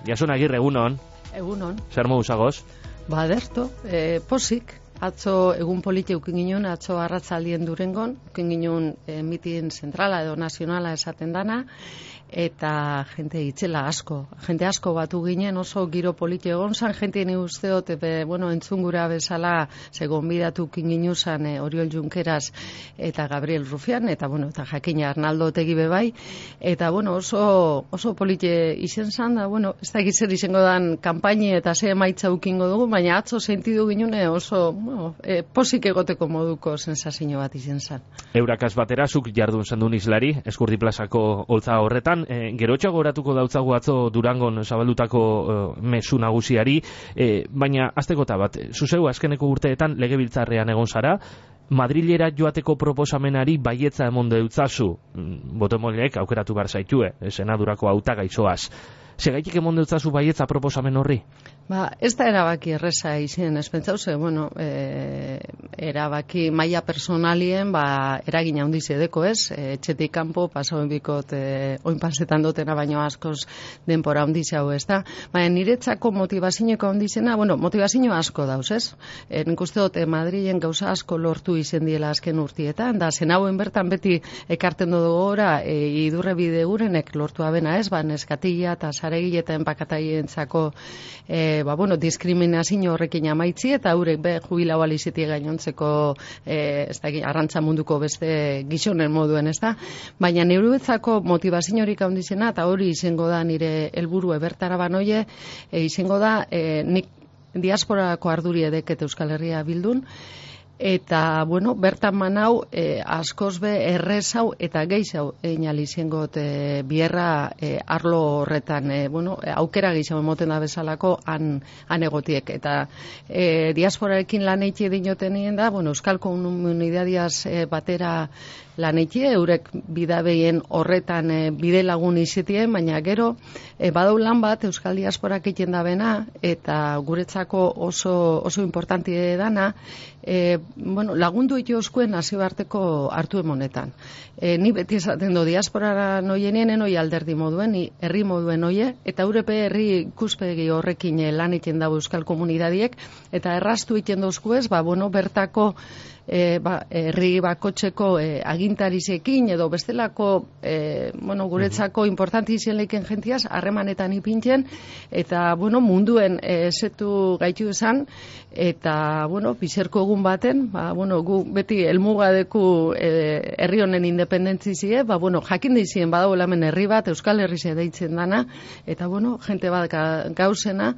Jason Agirre, egunon. Egunon. Zer modu zagoz? Ba, derto, posik. Atzo egun politi eukin ginen, atzo arratzaldien Durengon, eukin ginen mitin zentrala edo nazionala esaten dana, eta jente itzela asko. Jente asko batu ginen, oso giro politi egon zan, jente ni usteot, entzungura bezala, segon bidatu eukin ginen zan Oriol Junqueras eta Gabriel Rufián, eta eta jakina Arnaldo Otegi bebai, eta oso politi izen zan, da, ez da gitzer izango dan kanpaini eta ze emaitza ukingo dugu, baina atzo sentidu ginen oso posik egoteko moduko sensazio bat izen zan. Eurakaz batera, zuk jardun zendun izlari, Eskurdi plazako holtza horretan, gerotxo goratuko dautzagu atzo Durangon zabaldutako mezu nagusiari, baina aztekota bat, zuzeu azkeneko urteetan legebiltzarrean egon zara, Madrilera joateko proposamenari baietza emon deutzazu, botomoleek aukeratu behar zaitue, senadurako hautagaizoaz. Segaitik emon deutzazu baietza proposamen horri? Ez da erabaki erreza izan, ez pentsauze, erabaki maila personalien, eragina handiz edeko ez, etxetik kanpo, pasauen bikot, oin pasetan dotena baino askoz denpora handiz hau ez da. Baina niretzako motivazioeko handizena, motivazio asko dauz ez. Nik uste dut Madrilen gauza asko lortu izen diela azken urtietan, da zen hauen bertan beti ekarten dugu gora, idurre bide gurenek lortu abena ez, neskatila eta zaregile eta enpakataientzako diskriminazio horrekin amaitzi eta haurek jubilau aliziti gainontzeko arrantza munduko beste gizonen moduen, ez da? Baina neuruetzako motivaziorik handizena, eta hori izango da nire helburu ebertara banoie, izango da nik diasporako arduri edeket Euskal Herria bildun, eta, bertan manau, askoz be errezau eta geizau einal izangot bierra arlo horretan, aukera geizau emoten da bezalako han egotiek. Eta diasporarekin lan eitxe dinoten nien da, Euskal Komunidadiaz batera lan eitxe, eurek bidabeien horretan bide lagun izitien, baina gero, badau lan bat Euskal Diasporak egiten da bena, eta guretzako oso importanti dana, lagundu ito oskuen nazioarteko hartu emonetan. Ni beti esaten do, diasporara noienien enoi alderdi moduen, ni herri moduen oie, eta Eurepe herri ikuspegi horrekin lan egiten dago Euskal Komunidadiek, eta erraztu egiten dozkuez, bertako herri bakotxeko agintarizekin edo bestelako guretzako importanti izan leiken jentiaz harremanetan ipintzen eta munduen setu gaitu esan eta bizerko egun baten gu beti elmugadeku herri honen independentzizie jakin dizien badago hemen herri bat Euskal Herrize deitzen dana eta jente bat gauzena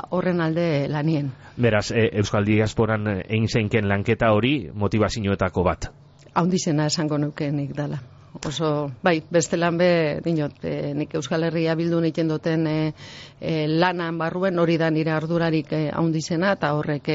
horren alde lanien. Beraz, Euskal Diasporan egin zeinken lanketa hori motivazioetako bat. Haundizena esango nukenik dala. Oso, bestelan dinot, nik Euskal Herria bildu egiten duten lanan barruen hori da nire ardurarik haundizena, eta horrek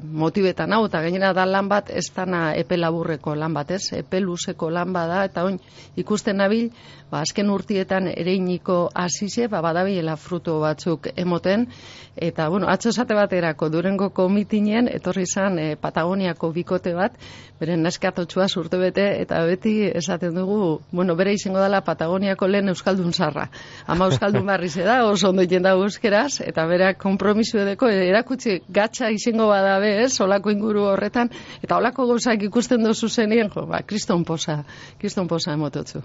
motibetan hau, eta gainera da lan bat, ez dana epe laburreko lan bat, ez? Epe luzeko lan bada, eta oin ikusten nabil, azken urtietan ereiniko azize, badabilela fruto batzuk emoten, eta, atzo esate baterako Durengoko mitinien, etorri izan Patagoniako bikote bat, beren neskatotxua surte bete, eta beti esaten dugu, bere izango dela Patagoniako lehen Euskaldun zarra. Ama Euskaldun barri da, oso ondo egiten dago euskeraz, eta berak konpromisu edeko, erakutsi gatsa izango badabe, olako inguru horretan, eta olako gauzak ikusten dozu zenien, kriston posa emototzu.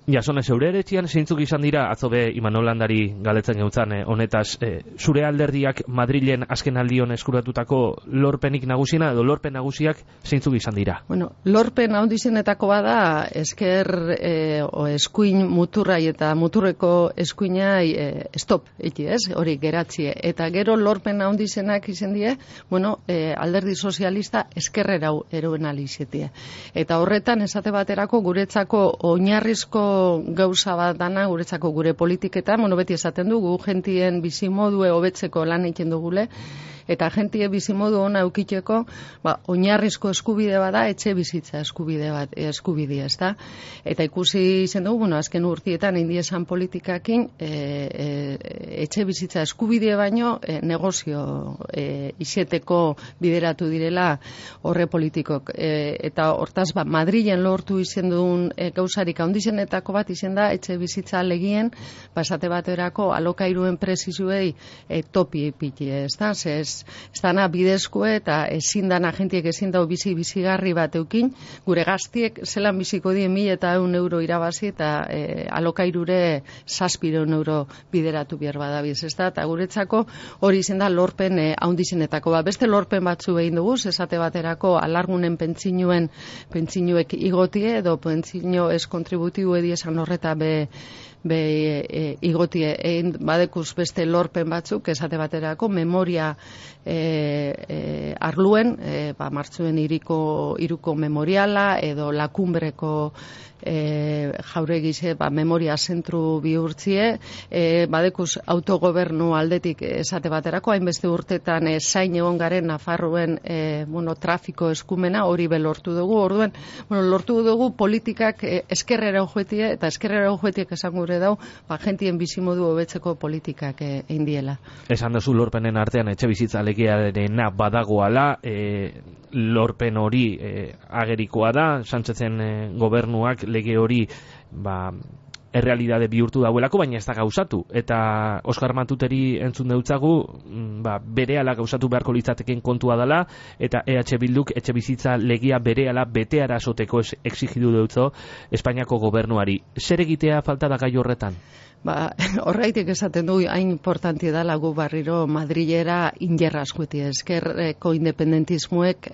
Jasone, zeure eretxian zeintzuk izan dira, atzo be Imanol Landari galetzen geutzan honetaz, zure alderdiak Madrilen azken aldion eskuratutako lorpenik nagusiena edo lorpen nagusiak zeintzuk izan dira? Lorpen handizenetako bada esker eskuin muturrai eta muturreko eskuinai stop, hori geratzie. Eta gero lorpen handizenak izan die, alderdi sozialista eskerrera eroen alizetie. Eta horretan esate baterako guretzako oinarrizko gauza bat dana guretzako gure politiketan, beti esaten dugu, gentien bizimodue hobetzeko lan egiten dugule, Eta jentie bizimodu ona eukiteko, oinarrizko eskubide bada etxe bizitza eskubidea, ezta? Eta ikusi izen dugu, azken urtietan indiesan politikakin etxe bizitza eskubide baino negozio iseteko bideratu direla horre politikok. Eta hortaz, Madrilen lortu izen duen gauzarik handizenetako bat izen da etxe bizitza legien, esate baterako alokairuen prezizuei topi epiti, ezta? Ez dana bidezkoe eta ezin dana jentiek ezin dau bizigarri bat eukin, gure gaztiek zelan biziko dien 1.100 euro irabazi eta alokairure 700 euro bideratu behar badabiz, ezta? Eta guretzako hori izen da lorpen handizenetako bat. Beste lorpen batzu behin dugu, esate baterako alargunen pentsinuek igotie edo pentsino ez kontributibo ediesan horreta igotie badekuz beste lorpen batzuk, esate baterako memoria arluen, martzuen iruko memoriala edo lakumbreko jauregize memoria zentru bihurtzie, badekuz autogobernu aldetik esate baterako, hainbeste urtetan zain egon garen Nafarroen trafiko eskumena, hori lortu dugu, orduen, lortu dugu politikak eskerrera ujuetie, eta eskerrera ujuetiek esan gure dau, jentien bizimodu hobetzeko politikak eindiela. Esan duzu lorpenen artean etxe bizitza legearena badagoala, lorpen hori agerikoa da, Sánchezen gobernuak lege hori errealidade bihurtu dauelako, baina ez da gauzatu. Eta Oskar Matuteri entzun deutzagu, berehala gauzatu beharko litzateken kontua dela, eta EH Bilduk etxe bizitza legia berehala beteara esoteko exigidu deutzo Espainiako gobernuari. Zer egitea falta da gai horretan? Horreitik esaten du, hain importanti dela gu barriro Madrilera injerra askueti, eskerreko independentismuek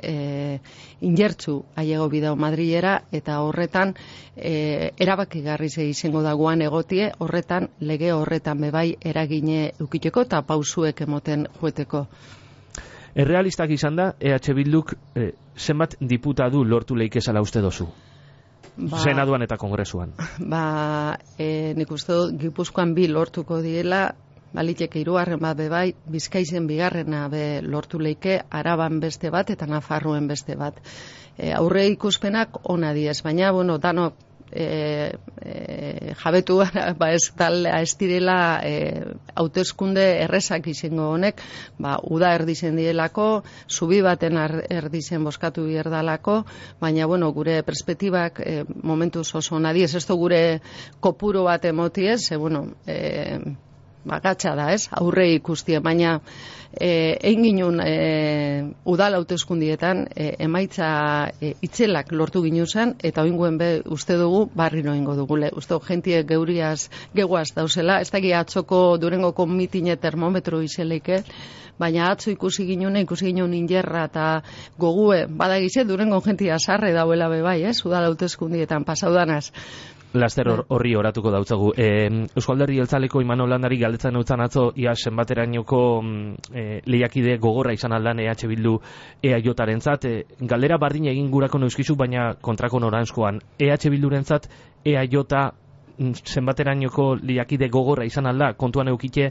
injertzu aiego bidao Madrilera, eta horretan erabakigarri izango dagoan egotie, horretan lege horretan bebai eragine eukiteko eta pausuek emoten jueteko. Errealistak izan da, EH Bilduk zenbat diputatu lortu leikezala uste dozu? Senaduan eta Kongresuan. Nik uste dut Gipuzkoan 2 lortuko diela, baliteke 3 bat bebai, Bizkaizen 2 lortu leike, Araban beste bat eta Nafarroen beste bat. Aurre ikuspenak ona diez, baina, danok jabetu ez direla hauteskunde errezak izango honek, uda erdizen dielako, zubi baten erdizen boskatu bierdalako, baina gure perspektibak momentuz oso nadiez, ez gure kopuru bat emotiez, gatsa da, ez? Aurre ikustie, baina egin ginun udal hauteskundietan emaitza itzelak lortu ginuzan, eta oinguen uste dugu barriro ingo dugule. Uste jentie geguaz dauzela, ez daki atzoko Durengoko mitine termometro izeleike, baina atzo ikusi ginun injerra eta gogue, badagize Durengo jentia sarre dauela bebai, ez? Udal hauteskundietan pasaudanaz. Laster horri oratuko dautzagu. Eusko Alderdi Jeltzaleko Imanol Landari galdetzen utzan atzo, ia zenbaterainoko lehiakide gogorra izan aldan EH Bildu EAJarentzat. Galdera bardin egin gurako neuskizu, baina kontrako noranzkoan. EH Bildurentzat EAJ zenbaterainoko lehiakide gogorra izan alda, kontuan eukite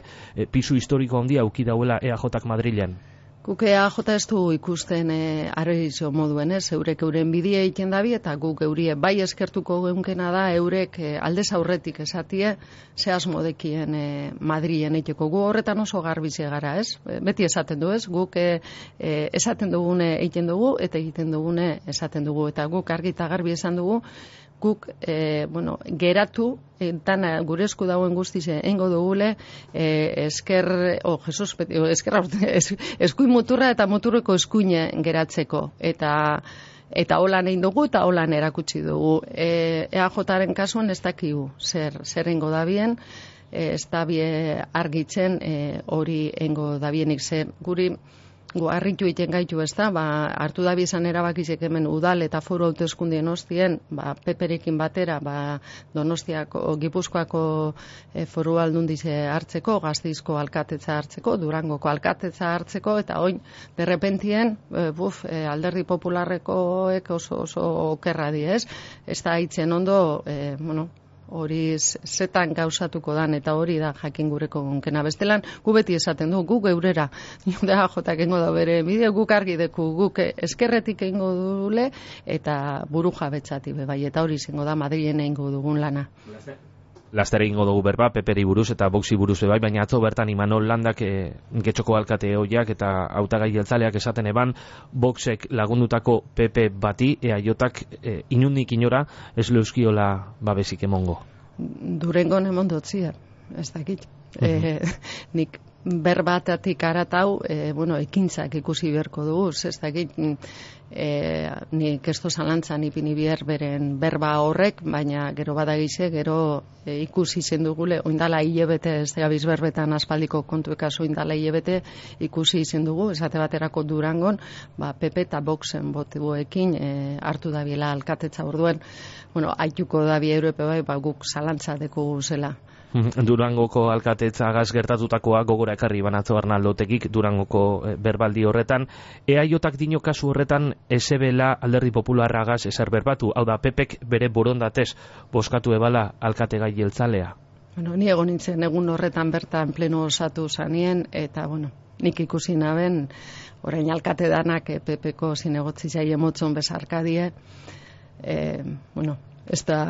pisu historiko handia euki dauela EAJak Madrilen. Guk EAJ ez du ikusten arrizio moduen, eurek euren bidea egiten dabi, eta guk eurie bai eskertuko geunkena da, eurek aldez aurretik esatie, zehaz modekien Madrilen eiteko. Gu horretan oso garbize gara, ez? Beti esaten du, ez? Guk esaten dugune egiten dugu, eta egiten dugune esaten dugu. Eta guk argi eta garbi esan dugu, guk geratu, dana gure esku dagoen guztize engo dugule eskuin muturra eta muturreko eskuine geratzeko. Eta holan egin dugu eta holan erakutsi dugu. EAJaren kasuan ez dakigu zer engo dabien, ez dabie argitzen hori engo dabienik ze guri harritu egiten gaitu, ez da, hartu da bizan erabakizek hemen udal eta foru hauteskundien ostien, peperekin batera, Donostiako, Gipuzkoako foru aldundize hartzeko, Gasteizko alkatetza hartzeko, Durangoko alkatetza hartzeko, eta oin, derrepentien, Alderdi Popularrekoek oso okerra di, ez? Ez da hitzen ondo, hori zetan gauzatuko dan, eta hori da jakin gureko gonkena. Bestelan, gu beti esaten du, guk eurera, da jotak engo da bere bide, guk argi deku, guk eskerretik eingo dule, eta buru jabetzati bai, eta hori izango da Madrilen eingo dugun lana. Lastere ingo dugu berba, Peperi buruz eta Voxi buruz bai, baina atzo bertan Imanol Landak Getxoko alkate hoiak eta hautagai jeltzaleak esaten eban, Voxek lagundutako Pepe bati, EAJak inundik inora ez leuskiola babesik emongo. Durengon emondotzia, ez dakit. Nik berbatatik aratau, ekintzak ikusi beharko dugu, ez dakit, nik ez zalantzan ipini behar beren berba horrek, baina gero badagize, gero ikusi zen dugule, oindala hilebete, ez da gabiz berbetan aspaldiko kontuekazu oindala hilebete, ikusi izen dugu, esate baterako Durangon, Pepe eta Voxen botuekin hartu dabiela alkatetza orduen, aituko dabi Europe bai, guk zalantza deku zela. Durangoko alkatetzagaz gertatutakoa gogora ekarri banatzo Arnaldotegik Durangoko berbaldi horretan. EAJak dino kasu horretan esebela Alderdi Popularragaz ezer berbatu, hau da Pepek bere borondatez boskatu ebala alkategai jeltzalea. Ni egon nintzen egun horretan bertan pleno osatu zanien, eta nik ikusi naben, orain alkate danak Pepeko zinegotzi zaie motzon bezarkadie, ez da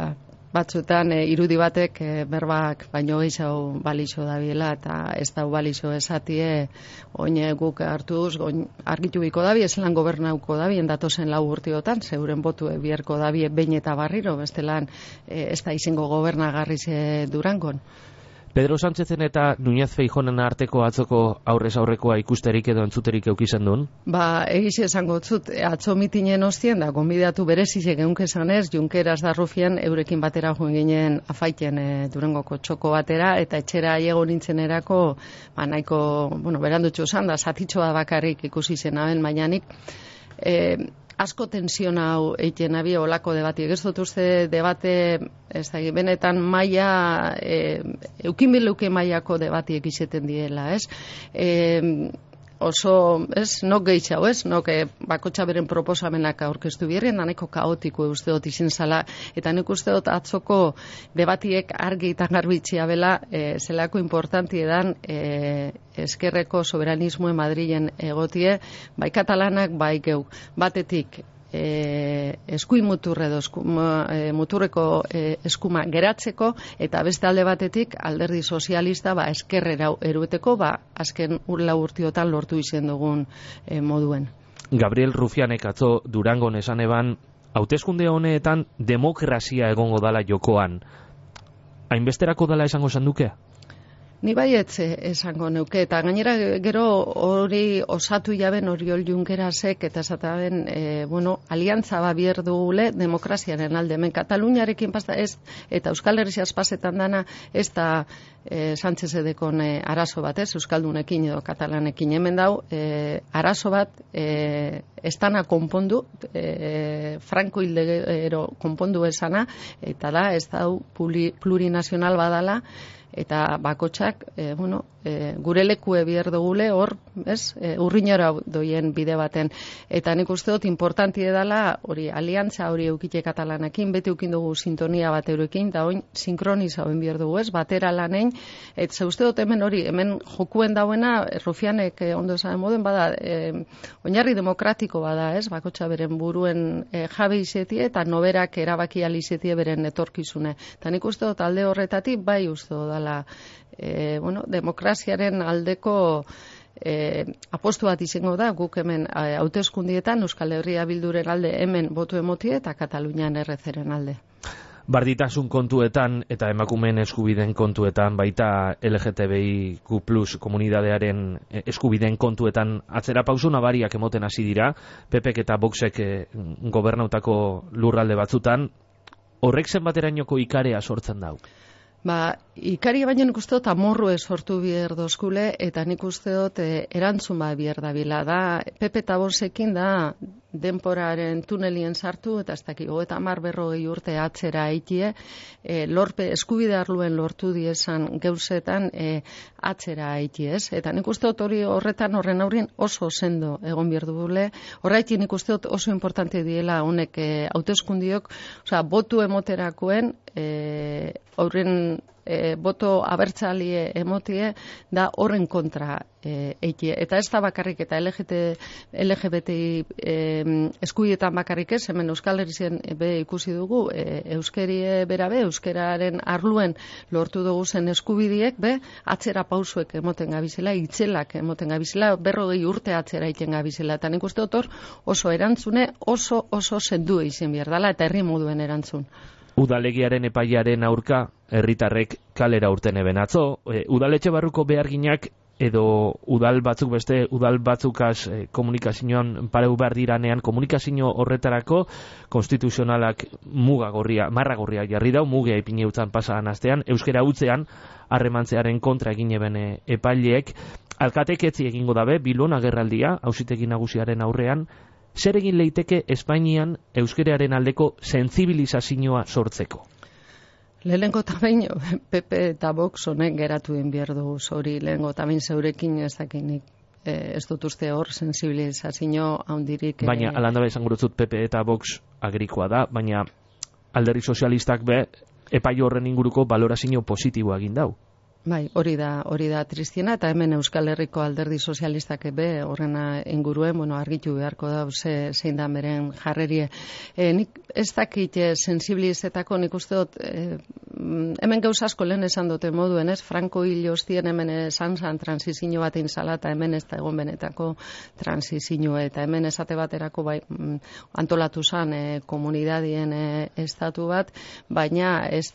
batzuetan irudi batek berbak baino gehiago balixo dabiela, eta ez da balixo esatie oin guk hartuz argitu biko dabi, ez lan gobernauko dabi endatozen 4 urteotan, zeuren botu bierko dabi behin eta barriro, bestelan ez da izango gobernagarri Durangon. Pedro Sánchezen eta Núñez Feijóonen arteko atzoko aurrez aurrekoa ikusterik edo entzuterik eukizan duen? Egiz esango zut, atzo mitinen ostien da, gonbidatu berezizek egunke zanez, Junkeras da Rufian eurekin batera joan ginen afaiten Durangoko txoko batera, eta etxera aiego nintzen erako, nahiko, berandutxo zan da, zatitxoa bakarrik ikusi zen aben, mainanik, asko tensión hau eiten abi olako debati. Ez dut uste debate, ez da, benetan maila, eukinbileuke mailako debatiek izeten diela, ez? Oso, ez, nok gehiago, ez? Nok bakotxa beren proposamenak aurkeztu birrien, nahiko kaotiko uste dut izin zala, eta nik uste dut atzoko debatiek argi eta garbitxia bela, zelako importanti edan eskerreko soberanismoe Madrilen egotie, bai katalanak, bai geuk. Batetik, eskuin muturre edo muturreko eskuma geratzeko, eta beste alde batetik Alderdi Sozialista eskerrera erueteko, azken 4 urteotan lortu izen dugun moduen. Gabriel Rufianek atzo Durangon esan eban, hauteskunde honetan demokrazia egongo dala jokoan. Hainbesterako dala esango sanduke? Ni baietz esango neuke, eta gainera gero hori osatu jaben Oriol Junkerasek, eta esataben, aliantza bier dugule demokraziaren alde. Hemen Kataluniarekin pasta ez, eta Euskal Herriaz pasetan dana, ez da Sánchez edekon arazo bat, ez, Euskaldunekin edo Katalanekin. Hemen dau, arazo bat, ez dana konpondu, Franco hildegero konpondu esana, eta da, ez dau plurinazional badala, eta bakotxak, gure lekue bier dugule hor, ez, urrinora doien bide baten. Eta nik uste dut importanti edala, hori aliantza hori eukite Katalanakin, beti eukin dugu sintonia bat eurekin, da oin sinkroniza hoen bier dugu, ez, batera lanein, eta ze uste dut hemen jokuen dauena, Rufianek ondo esan moden, bada, oinarri demokratiko bada, ez, bakotxa beren buruen jabe izetie, eta noberak erabaki alizetie beren etorkizune. Eta nik uste dut alde horretatik, bai uste dut demokraziaren aldeko apostu bat izango da, guk hemen hauteskundietan Euskal Herria Bilduren alde hemen botu emotie eta Katalunian errezeren alde. Barditasun kontuetan eta emakumeen eskubideen kontuetan, baita LGTBIQ+ komunidadearen eskubideen kontuetan atzera pauso nabariak emoten hasi dira, Pepek eta Voxek gobernautako lurralde batzutan, horrek zenbaterainoko ikarea sortzen dau? Ikari baino nik uste dut amorru sortu bier dozkule, eta nik uste dut erantzun bier dabila. Da, Pepe eta Voxekin da denporaren tunelien sartu, eta ez dakik, 30-40 urte atzera aitie, lorpe eskubide arluen lortu diezan geuzetan atzera aitie, ez? Eta nik uste dut horren aurrin oso sendo egon behar dugule, horretik nik uste dut oso importante diela honek hauteskundiok, osea, botu emoterakoen, horren boto abertzalie emotie da horren kontra eitie. Eta ez da bakarrik eta LGBTI eskubietan bakarrik ez, hemen Euskal Herrien be ikusi dugu, euskerie berabe, euskeraren arluen lortu dugu zen eskubidiek, be, atzera pausuek emoten gabizela, itzelak emoten gabizela, 40 urte atzera iten gabizela. Eta nik uste dut oso erantzune, oso sendu izin behar dela, eta herri moduen erantzun. Udalegiaren epaiaren aurka, herritarrek kalera urten eben atzo, udaletxe barruko beharginak edo udal batzuk beste, udal batzukaz komunikazioan pareu behar diranean, komunikazio horretarako konstituzionalak marra gorria jarri dau, muge ipine utzan pasaan astean, euskera utzean, harremantzearen kontra egin eben epaileek, alkatek etzi egingo dabe, Bilbon agerraldia, auzitegi nagusiaren aurrean, zer egin leiteke Espainian euskeraren aldeko sentsibilizazioa sortzeko? Lehenengo tabain, PP eta Vox honek geratu behar dugu, hori lehenengo tabain zeurekin ez dakinik. Ez dut uste hor sensibilizazio handirik. Baina, alanda bezan gurutzut PP eta Vox agrikoa da, baina alderdi sozialistak be, epai horren inguruko valorazio positiboa egin dau. Bai, hori da tristiena, eta hemen Euskal Herriko alderdi sozialistak ebe horrena inguruen, argitu beharko da, zein da beren jarrerie. Nik ez dakit sensibilizetako, nik uste dut, hemen gauz asko lehen esan dute moduen, ez? Franco hil ostien hemen esan transizio bat inzala, eta hemen ez da egon benetako transizio, eta hemen esate baterako bai, antolatu zan komunidadien estatu bat, baina ez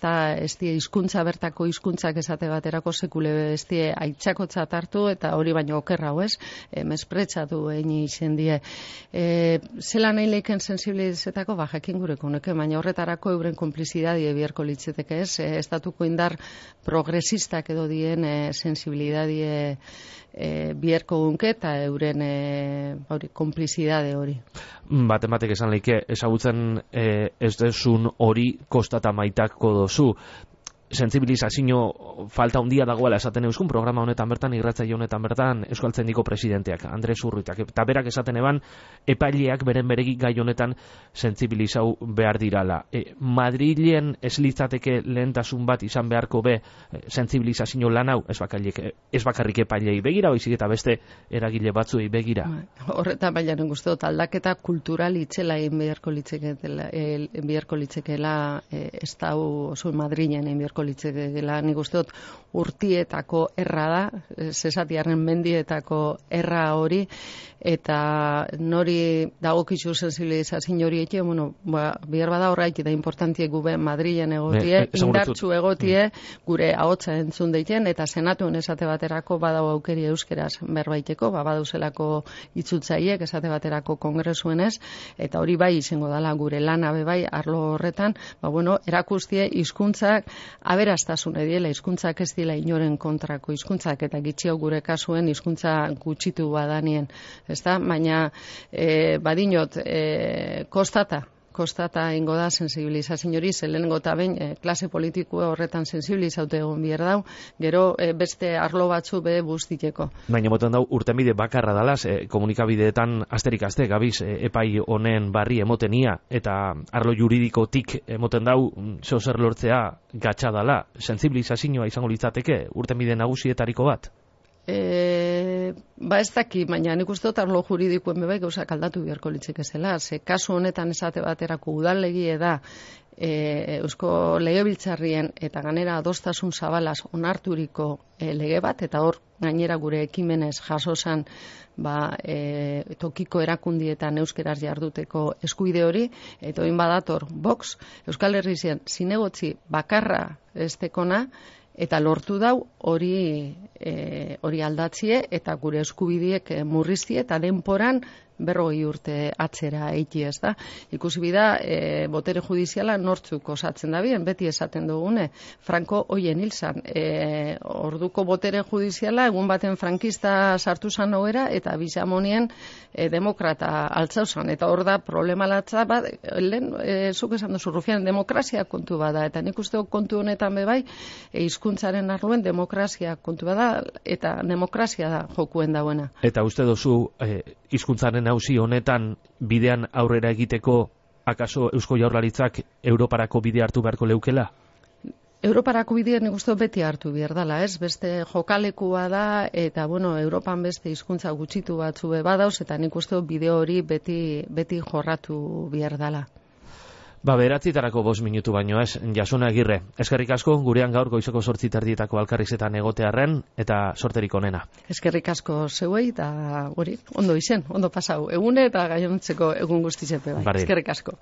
die hizkuntza bertako hizkuntzak esate baterako sekule bestie aitzakotzat hartu, eta hori baino okerra ez, mespretsatu egin izen die. Zela nahi leiken sensibilizetako, jakin gureko honeke, baina horretarako euren konplizidadie biharko litzeteke ez, estatuko indar progresistak edo dien sensibilidadie biharko gunke, eta euren konplizidade hori. Batek esan leike, ezagutzen ez desun hori kostata maitako dozu, sensibilizazio falta handia dagoela esaten euskun programa honetan bertan, irratzaile honetan bertan, Euskaltzendiko presidenteak, Andres Urruitak, eta berak esaten eban, epaileak beren beregi gai honetan sensibilizau behar dirala. Madrilen ez litzateke lehentasun bat izan beharko be sensibilizazio lan hau, ez bakarrik epailei begira, baizik eta beste eragile batzuei begira. Horretan baina guzti dut, aldaketa kultural itzela egin beharko litzekeela ez da oso Madrilen egin beharko litzekeela, nik uste dut urtietako erra da, zesatiarren mendietako erra hori, eta nori dagokizu sensibilizazio hori eke, bihar bada horreik da importantiek gube Madrilen egotie, indartsu egotie, gure ahotsa entzun deiten, eta senatuen esate baterako badau aukeri euskeraz berbaiteko, badauzelako itzutzaiek esate baterako kongresuenez, eta hori bai izango dala gure lana bai arlo horretan, erakustie hizkuntzak aberastasune diela, hizkuntzak ez dela inoren kontrako hizkuntzak, eta gitxio gure kasuen hizkuntza gutxitu badanien, ezta? Baina badinot kostata ingo da sensibilizazio hori, zelengo eta behin klase politikoa horretan sensibilizaute egon behar dau, gero beste arlo batzu be buztiteko. Baina moten dau, urtenbide bakarra dalaz, komunikabideetan asterik aste gabiz epai honen barri emotenia, eta arlo juridikotik emoten dau, zer lortzea gatsa dala, sensibilizazioa izango litzateke, urtenbide nagusietariko bat? Ez daki, baina nik uste dut arlo juridikoen bebai gauzak aldatu beharko litzeke zela. Kasu honetan esate baterako udalegie da Eusko Legebiltzarrien eta ganera adostasun zabalaz onarturiko lege bat, eta hor gainera gure ekimenez jasozan tokiko erakundietan euskeraz jarduteko eskubide hori, eta oin badator Vox, Euskal Herrien zinegotzi bakarra estekona, eta lortu dau hori aldatzie, eta gure eskubidiek murriztie, eta denporan 40 urte atzera eiti, ez da. Ikusi bida, botere judiziala nortzuk osatzen da bien, beti esaten dugune, Franco hoien hilzan. Orduko botere judiziala, egun baten frankista sartu zan hauera, eta bisamonien demokrata altzauzan. Eta hor da problema latza, lehen, zuk esan duzu, Rufian, demokrazia kontu bada, eta nik uste kontu honetan bebai, hizkuntzaren arloen demokrazia kontu bada, eta demokrazia da jokuen dauena. Eta uste duzu, hizkuntzaren auzi honetan bidean aurrera egiteko akaso Eusko Jaurlaritzak Europarako bide hartu beharko leukela? Europarako bidea nik uste beti hartu behar dela, ez? Beste jokalekua da, eta bueno, Europan beste hizkuntza gutxitu batzu badauz, eta nik uste bide hori beti jorratu behar dela. 9:00 5 minutu baino ez, Jasone Agirre. Eskerrik asko, gurean gaur goizeko 8:30 alkarrizetan egotearren, eta sorterik onena. Eskerrik asko zeuei, eta hori, ondo izen, ondo pasau egune, eta gainontzeko egun guztizepe bai. Eskerrik asko.